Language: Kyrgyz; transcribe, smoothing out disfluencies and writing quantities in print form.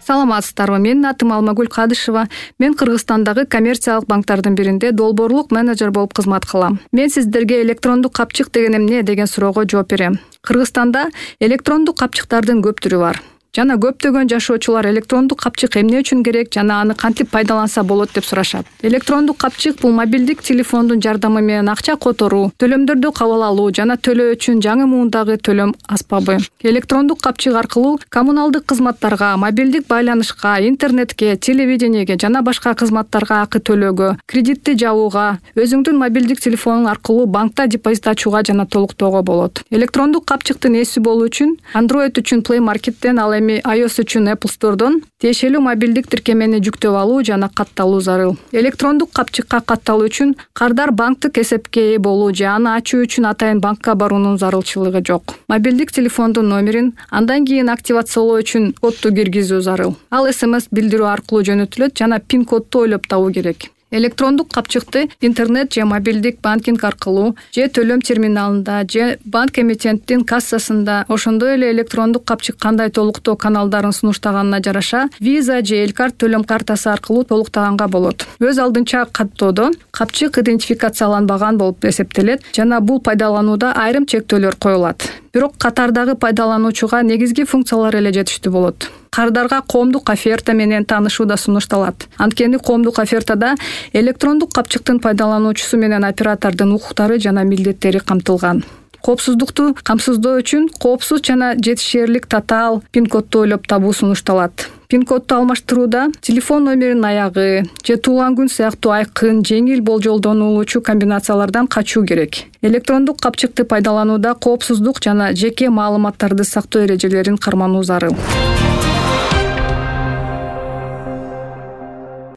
Саламатсыздарбы? Менин атым Алмагүл Кадышева. Мен Кыргызстандагы коммерциялык банктардын биринде долбоорлук менеджер болуп кызмат кылам. Мен сиздерге электрондук капчык деген эмне деген суроого жооп берем. Кыргызстанда электрондук капчыктардын көп түрү бар. Жана көптөгөн жашоочулар электрондук капчык эмне үчүн керек жана аны кантип пайдаланса болот деп сурашат. Электрондук капчык бул мобилдик телефондун жардамы менен акча которуу, төлөмдөрдү кабыл алуу жана төлөө үчүн жаңы муундагы төлөм аспабы. Электрондук капчык аркылуу коммуналдык кызматтарга, мобилдик байланышка, интернетке, телевидениеге жана башка кызматтарга акы төлөөгө, кредитти жабууга, өзүңдүн мобилдик телефонуң аркылуу банкта депозит ачууга жана толуктоого болот. Электрондук капчыктын ээси болуу үчүн Android үчүн Play Market'тен ал iOS үчүн Apple Store'дон тиешелүү мобилдик тиркемени жүктөп алуу жана катталуу зарыл. Электрондук капчыкка катталуу үчүн кардар банктык эсепке ээ болуу же аны ачуу үчүн атайын банкка баруунун зарылчылыгы жок. Мобилдик телефондун номерин андан кийин активациялоо үчүн кодду киргизүү зарыл. Ал SMS билдирүү аркылуу жөнөтүлөт жана пин кодду ойлоп табуу керек. Электрондук капчыкты интернет же мобилдик банкинг аркылуу же төлөм терминалында же банк эмитенттин кассасында, ошондой эле электрондук капчык кандай толуктоо каналдарын сунуштаганына жараша Visa же Элкарт төлөм картасы аркылуу толуктаганга болот. Өз алдынча каттоодо капчык идентификацияланбаган болуп эсептелет жана бул пайдаланууда айрым чектөөлөр коюлат. Бирок катардагы пайдалануучуга негизги функциялар эле жетиштүү болот. Кардарга коомдук оферта менен таанышуу да сунушталат. Анткени коомдук офертада электрондук капчыктын пайдалануучусу менен оператордун укуктары жана милдеттери камтылган. Коопсуздукту камсыздоо үчүн коопсуз жана жетишээрлик татаал пин кодду ойлоп табуу сунушталат. Пин кодду алмаштырууда телефон номеринин аягы же туулган күн сыяктуу айкын, жеңил болжолдонулуучу комбинациялардан качуу керек. Электрондук капчыкты пайдаланууда коопсуздук жана жеке маалыматтарды сактоо эрежелерин кармануу зарыл.